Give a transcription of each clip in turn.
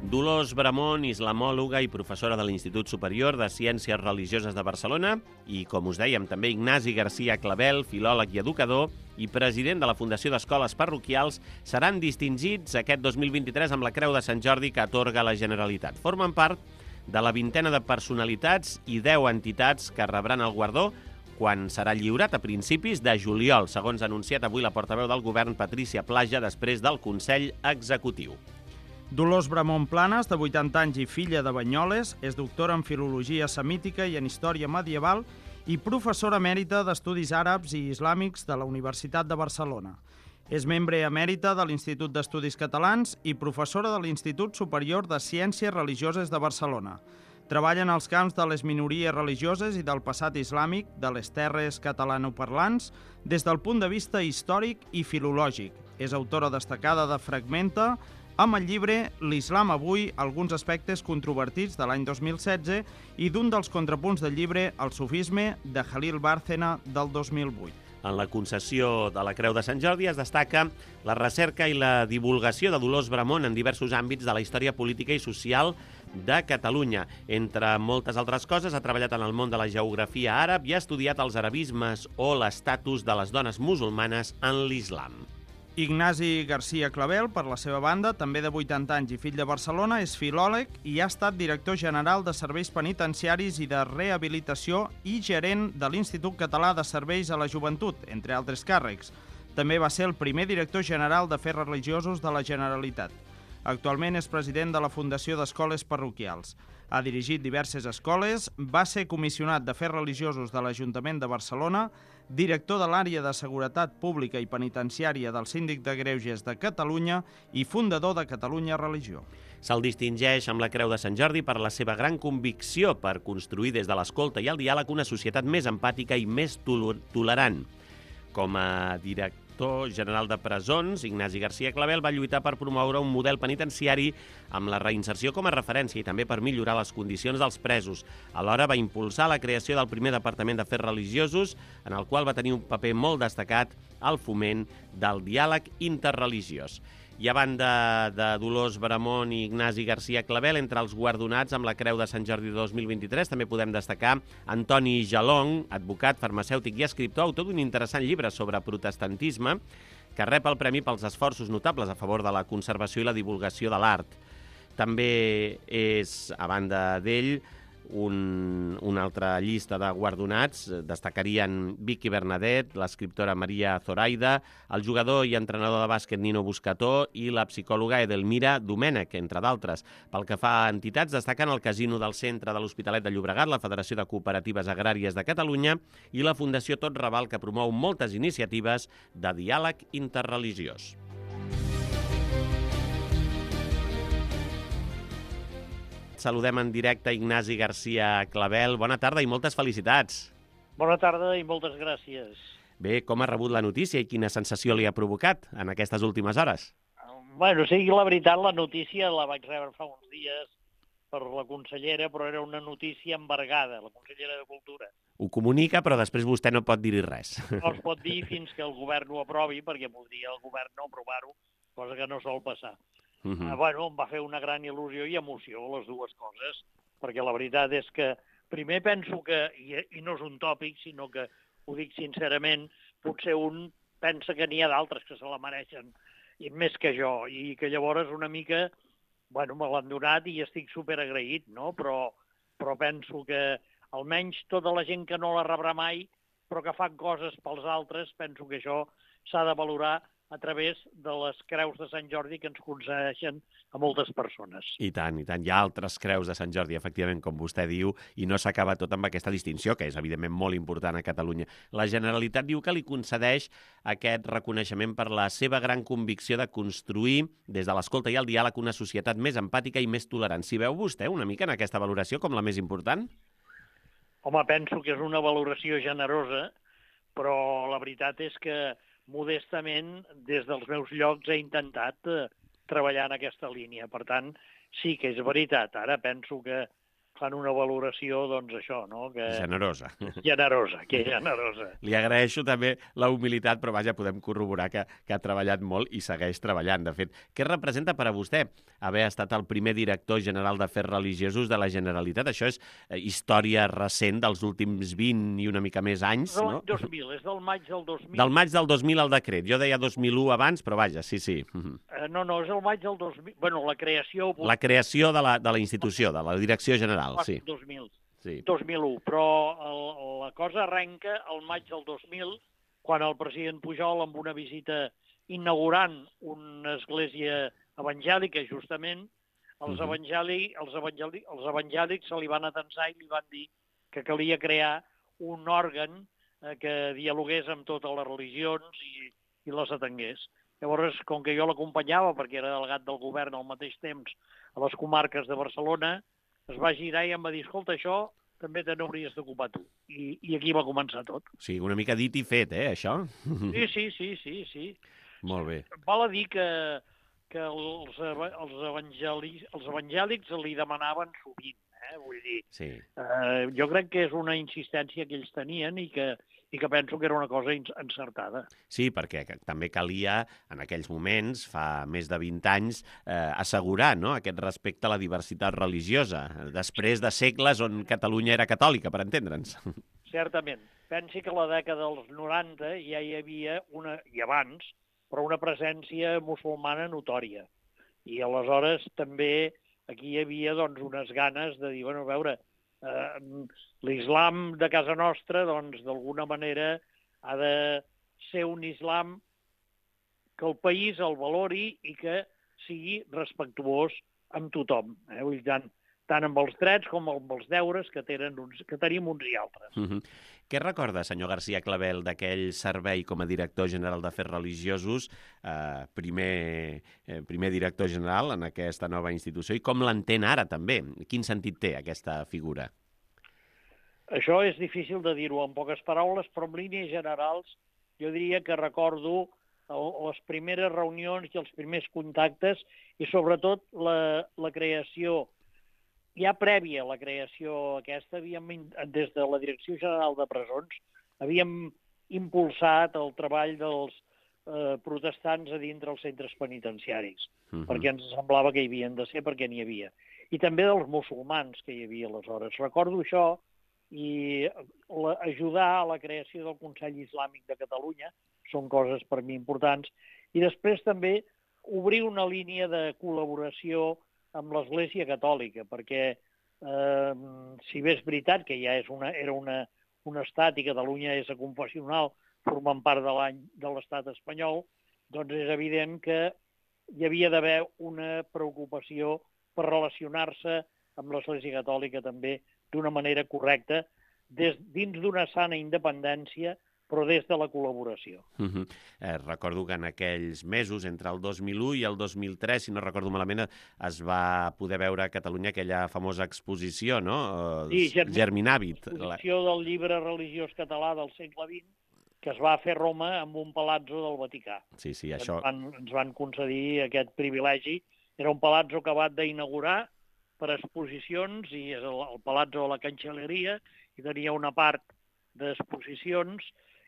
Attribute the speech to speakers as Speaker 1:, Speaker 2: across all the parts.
Speaker 1: Dolors Bramont, islamòloga i professora de l'Institut Superior de Ciències Religioses de Barcelona, i, com us dèiem, també Ignasi Garcia Clavel, filòleg i educador i president de la Fundació d'Escoles Parroquials, seran distingits aquest 2023 amb la Creu de Sant Jordi que atorga la Generalitat. Formen part de la 20ena de personalitats i 10 entitats que rebran el guardó quan serà lliurat a principis de juliol, segons ha anunciat avui la portaveu del govern, Patrícia Plaja, després del Consell Executiu.
Speaker 2: Dolors Bramont Planes, de 80 anys i filla de Banyoles, és doctora en Filologia Semítica i en Història Medieval i professora emèrita d'Estudis Àrabs i Islàmics de la Universitat de Barcelona. És membre emèrita de l'Institut d'Estudis Catalans i professora de l'Institut Superior de Ciències Religioses de Barcelona. Treballa en els camps de les minories religioses i del passat islàmic de les terres catalanoparlants des del punt de vista històric i filològic. És autora destacada de Fragmenta, amb el llibre L'Islam avui, alguns aspectes controvertits de l'any 2016 i d'un dels contrapunts del llibre El sufisme de Jalil Bárcena del 2008.
Speaker 1: En la concessió de la Creu de Sant Jordi es destaca la recerca i la divulgació de Dolors Bramont en diversos àmbits de la història política i social de Catalunya. Entre moltes altres coses, ha treballat en el món de la geografia àrab i ha estudiat els arabismes o l'estatus de les dones musulmanes en l'islam.
Speaker 2: Ignasi Garcia Clavel, per la seva banda, també de 80 anys i fill de Barcelona, és filòleg i ha estat director general de Serveis Penitenciaris i de Rehabilitació i gerent de l'Institut Català de Serveis a la Joventut, entre altres càrrecs. També va ser el primer director general d'Afers Religiosos de la Generalitat. Actualment és president de la Fundació d'Escoles Parroquials. Ha dirigit diverses escoles, va ser comissionat d'Afers Religiosos de l'Ajuntament de Barcelona, director de l'àrea de Seguretat Pública i Penitenciària del Síndic de Greuges de Catalunya i fundador de Catalunya Religió.
Speaker 1: Se'l distingeix amb la Creu de Sant Jordi per la seva gran convicció per construir des de l'escolta i el diàleg una societat més empàtica i més tolerant. Com a director general de presons, Ignasi Garcia Clavel va lluitar per promoure un model penitenciari amb la reinserció com a referència i també per millorar les condicions dels presos. Alhora va impulsar la creació del primer Departament d'Afers Religiosos, en el qual va tenir un paper molt destacat al foment del diàleg interreligiós. I a banda de Dolors Bramont i Ignasi Garcia Clavel, entre els guardonats amb la Creu de Sant Jordi 2023, també podem destacar Antoni Jalong, advocat, farmacèutic i escriptor, autor d'un interessant llibre sobre protestantisme, que rep el premi pels esforços notables a favor de la conservació i la divulgació de l'art. També és, a banda d'ell, una altra llista de guardonats. Destacarien Vicky Bernadet, l'escriptora Maria Zoraida, el jugador i entrenador de bàsquet Nino Buscató i la psicòloga Edelmira Domènech, entre d'altres. Pel que fa a entitats, destaquen el Casino del Centre de l'Hospitalet de Llobregat, la Federació de Cooperatives Agràries de Catalunya i la Fundació Tot Raval, que promou moltes iniciatives de diàleg interreligiós. Saludem en directe Ignasi Garcia Clavel. Bona tarda i moltes felicitats.
Speaker 3: Bona tarda i moltes gràcies.
Speaker 1: Bé, com ha rebut la notícia i quina sensació li ha provocat en aquestes últimes hores?
Speaker 3: Bueno, sí, la veritat, la notícia la vaig rebre fa uns dies per la consellera, però era una notícia embargada, la consellera de Cultura.
Speaker 1: Ho comunica, però després vostè no pot dir-hi res.
Speaker 3: No es pot dir fins que el govern ho aprovi, perquè podria el govern no aprovar-ho, cosa que no sol passar. Bueno, em va fer una gran il·lusió i emoció, les dues coses, perquè la veritat és que primer penso que, i no és un tòpic, sinó que ho dic sincerament, potser un pensa que n'hi ha d'altres que se la mereixen, i més que jo, i que llavors una mica, bueno, me l'han donat i estic superagraït, no? Però penso que almenys tota la gent que no la rebrà mai, però que fa coses pels altres, penso que això s'ha de valorar a través de les creus de Sant Jordi que ens concedeixen a moltes persones.
Speaker 1: I tant, i tant. Hi ha altres creus de Sant Jordi, efectivament, com vostè diu, i no s'acaba tot amb aquesta distinció, que és, evidentment, molt important a Catalunya. La Generalitat diu que li concedeix aquest reconeixement per la seva gran convicció de construir, des de l'escolta i el diàleg, una societat més empàtica i més tolerant. Si veu vostè una mica en aquesta valoració com la més important?
Speaker 3: Home, penso que és una valoració generosa, però la veritat és que modestament, des dels meus llocs, he intentat treballar en aquesta línia. Per tant, sí que és veritat. Ara penso que fan una valoració, doncs això, no?
Speaker 1: Generosa.
Speaker 3: Generosa.
Speaker 1: Li agraeixo també la humilitat, però vaja, podem corroborar que ha treballat molt i segueix treballant. De fet, què representa per a vostè haver estat el primer director general d'Afers Religiosos de la Generalitat? Això és història recent dels últims 20 i una mica més anys, no?
Speaker 3: Del 2000, és del maig del 2000.
Speaker 1: Del maig del 2000 el decret. Jo deia 2001 abans, però vaja, sí.
Speaker 3: No, és el maig del 2000. Bueno, la creació...
Speaker 1: La creació de la institució, de la direcció general. Sí.
Speaker 3: 2000.
Speaker 1: Sí.
Speaker 3: 2001, però la cosa arrenca el maig del 2000, quan el president Pujol, amb una visita inaugurant una església evangèlica, justament, els evangèlics se li van atensar i li van dir que calia crear un òrgan que dialogués amb totes les religions i les atengués. Llavors, com que jo l'acompanyava, perquè era delegat del govern al mateix temps a les comarques de Barcelona, es va girar i em va dir, escolta, això també te n'hauries d'ocupar tu. I aquí va començar tot.
Speaker 1: O sigui, una mica dit i fet, això?
Speaker 3: Sí.
Speaker 1: Molt bé.
Speaker 3: Val a dir que els evangèlics li demanaven sovint, vull dir.
Speaker 1: Sí.
Speaker 3: Jo crec que és una insistència que ells tenien i que penso que era una cosa encertada.
Speaker 1: Sí, perquè també calia, en aquells moments, fa més de 20 anys, assegurar, no?, aquest respecte a la diversitat religiosa, després de segles on Catalunya era catòlica, per entendre'ns.
Speaker 3: Certament. Pensi que a la dècada dels 90 ja hi havia i abans, però una presència musulmana notòria. I aleshores també aquí hi havia doncs, unes ganes de dir, bueno, a veure, l'islam de casa nostra, doncs, d'alguna manera ha de ser un islam que el país el valori i que sigui respectuós amb tothom. Vull dir, tant amb els drets com amb els deures que tenim uns i altres.
Speaker 1: Què recorda, senyor García Clavel, d'aquell servei com a director general d'Afers Religiosos, primer director general en aquesta nova institució, i com l'entén ara també? Quin sentit té aquesta figura?
Speaker 3: Això és difícil de dir-ho en poques paraules, però en línies generals jo diria que recordo les primeres reunions i els primers contactes i sobretot la creació, ja prèvia a la creació aquesta, des de la Direcció General de Presons, havíem impulsat el treball dels protestants a dintre els centres penitenciaris, perquè ens semblava que hi havien de ser, perquè n'hi havia. I també dels musulmans que hi havia aleshores. Recordo això i ajudar a la creació del Consell Islàmic de Catalunya, són coses per mi importants, i després també obrir una línia de col·laboració amb l'Església Catòlica, perquè si bé és veritat que ja era un estat i Catalunya és aconfessional, formant part de l'estat espanyol, doncs és evident que hi havia d'haver una preocupació per relacionar-se amb l'Església Catòlica també d'una manera correcta, dins d'una sana independència, però des de la col·laboració.
Speaker 1: Recordo que en aquells mesos, entre el 2001 i el 2003, si no recordo malament, es va poder veure a Catalunya aquella famosa exposició, no?
Speaker 3: Sí,
Speaker 1: Germinàvit.
Speaker 3: L'exposició del llibre religiós català del segle XX, que es va fer a Roma amb un palazzo del Vaticà.
Speaker 1: Sí, això...
Speaker 3: Ens van concedir aquest privilegi. Era un palazzo acabat d'inaugurar per exposicions, i és el palazzo de la Cancelleria, i tenia una part d'exposicions,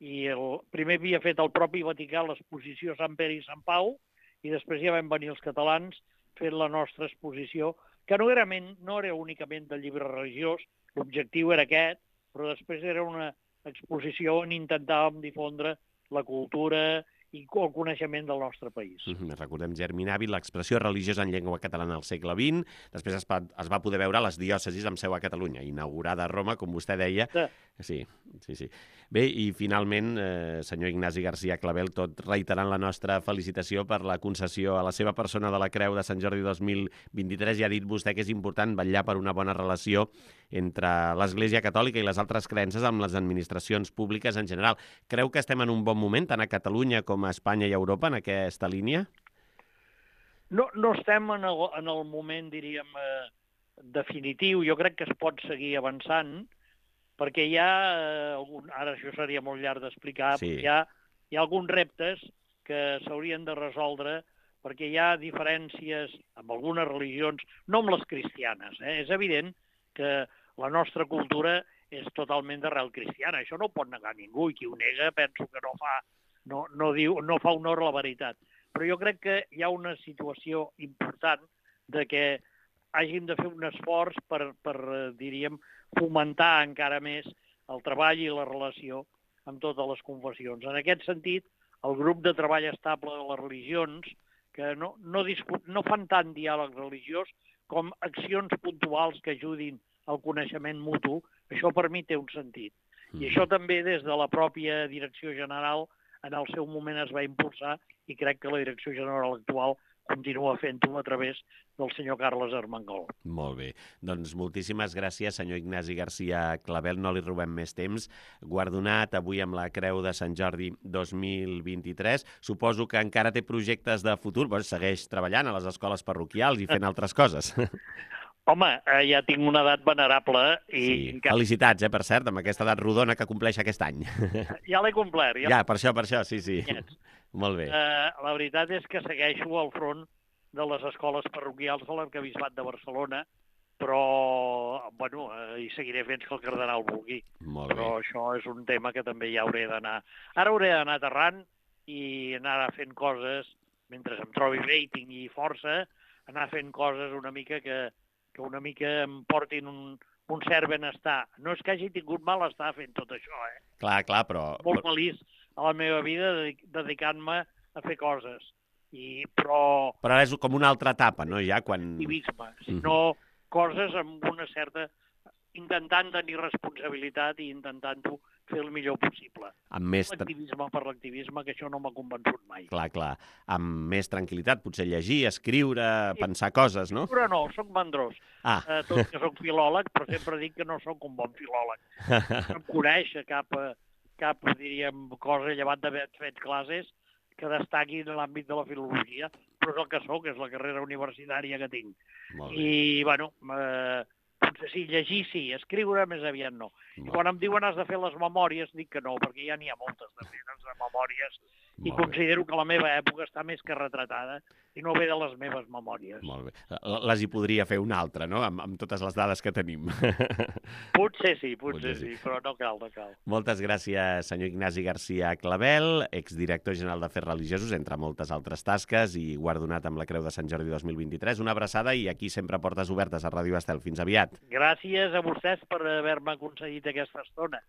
Speaker 3: i primer havia fet el propi Vaticà l'exposició Sant Pere i Sant Pau, i després ja vam venir els catalans fent la nostra exposició, que no era únicament del llibre religiós, l'objectiu era aquest, però després era una exposició on intentàvem difondre la cultura i el coneixement del nostre país.
Speaker 1: Recordem Germinàvit, l'expressió religiosa en llengua catalana al segle XX, després es va poder veure a les diòcesis amb seu a Catalunya, inaugurada a Roma, com vostè deia. Sí. Bé, i finalment, senyor Ignasi García Clavel, tot reiterant la nostra felicitació per la concessió a la seva persona de la Creu de Sant Jordi 2023, ja ha dit vostè que és important vetllar per una bona relació entre l'Església Catòlica i les altres creences amb les administracions públiques en general. Creu que estem en un bon moment, tant a Catalunya com a Espanya i a Europa, en aquesta línia?
Speaker 3: No estem en el moment, diríem, definitiu. Jo crec que es pot seguir avançant, perquè hi ha, ara això seria molt llarg d'explicar,
Speaker 1: sí.
Speaker 3: Hi ha alguns reptes que s'haurien de resoldre, perquè hi ha diferències amb algunes religions, no amb les cristianes. És evident que la nostra cultura és totalment d'arrel cristiana. Això no ho pot negar ningú, i qui ho nega penso que no fa honor a la veritat. Però jo crec que hi ha una situació important de que hàgim de fer un esforç per diríem, fomentar encara més el treball i la relació amb totes les confessions. En aquest sentit, el grup de treball estable de les religions, que no fan tant diàleg religiós com accions puntuals que ajudin al coneixement mutu, això per mi té un sentit. I això també des de la pròpia Direcció General en el seu moment es va impulsar i crec que la Direcció General actual continua fent-ho a través del senyor Carles Armengol.
Speaker 1: Molt bé. Doncs moltíssimes gràcies, senyor Ignasi Garcia Clavel. No li robem més temps. Guardonat avui amb la Creu de Sant Jordi 2023. Suposo que encara té projectes de futur. Segueix treballant a les escoles parroquials i fent altres coses.
Speaker 3: Home, ja tinc una edat venerable i...
Speaker 1: Sí. Felicitats, per cert, amb aquesta edat rodona que compleix aquest any.
Speaker 3: Ja l'he complert.
Speaker 1: Ja, per això, sí. Molt bé.
Speaker 3: La veritat és que segueixo al front de les escoles parroquials de l'Arquebisbat de Barcelona, però, bueno, hi seguiré fins que el cardenal vulgui. Però això és un tema que també ja hauré d'anar. Ara hauré d'anar aterrant i anar fent coses, mentre em trobi bé i tingui força, anar fent coses una mica que una mica em portin un cert benestar. No és que hagi tingut malestar fent tot això,
Speaker 1: Clar, però...
Speaker 3: Molt feliç a la meva vida dedicant-me a fer coses. Però
Speaker 1: és com una altra etapa, no? Ja quan...
Speaker 3: Activisme, sinó coses amb una certa... intentant tenir responsabilitat i intentant-ho fer el millor possible. L'activisme per l'activisme, que això no m'ha convençut mai.
Speaker 1: Clar. Amb més tranquil·litat, potser llegir, escriure, pensar coses, no?
Speaker 3: Escriure no, soc mandrós. Tot que soc filòleg, però sempre dic que no soc un bon filòleg. No em coneix cap, diríem, cosa llevat d'haver fet classes que destaqui en l'àmbit de la filologia, però és el que soc, és la carrera universitària que tinc. I, bueno... potser sí, llegir sí, escriure més aviat no. I quan em diuen has de fer les memòries, dic que no, perquè ja n'hi ha moltes de memòries i considero que la meva època està més que retratada i no ve de les meves memòries.
Speaker 1: Molt bé. Les hi podria fer una altra, no?, amb totes les dades que tenim.
Speaker 3: Potser sí, però no cal.
Speaker 1: Moltes gràcies, senyor Ignasi Garcia Clavel, exdirector general d'Afers Religiosos, entre moltes altres tasques, i guardonat amb la Creu de Sant Jordi 2023. Una abraçada i aquí sempre portes obertes a Ràdio Estel. Fins aviat.
Speaker 3: Gràcies a vostès per haver-me concedit aquesta estona.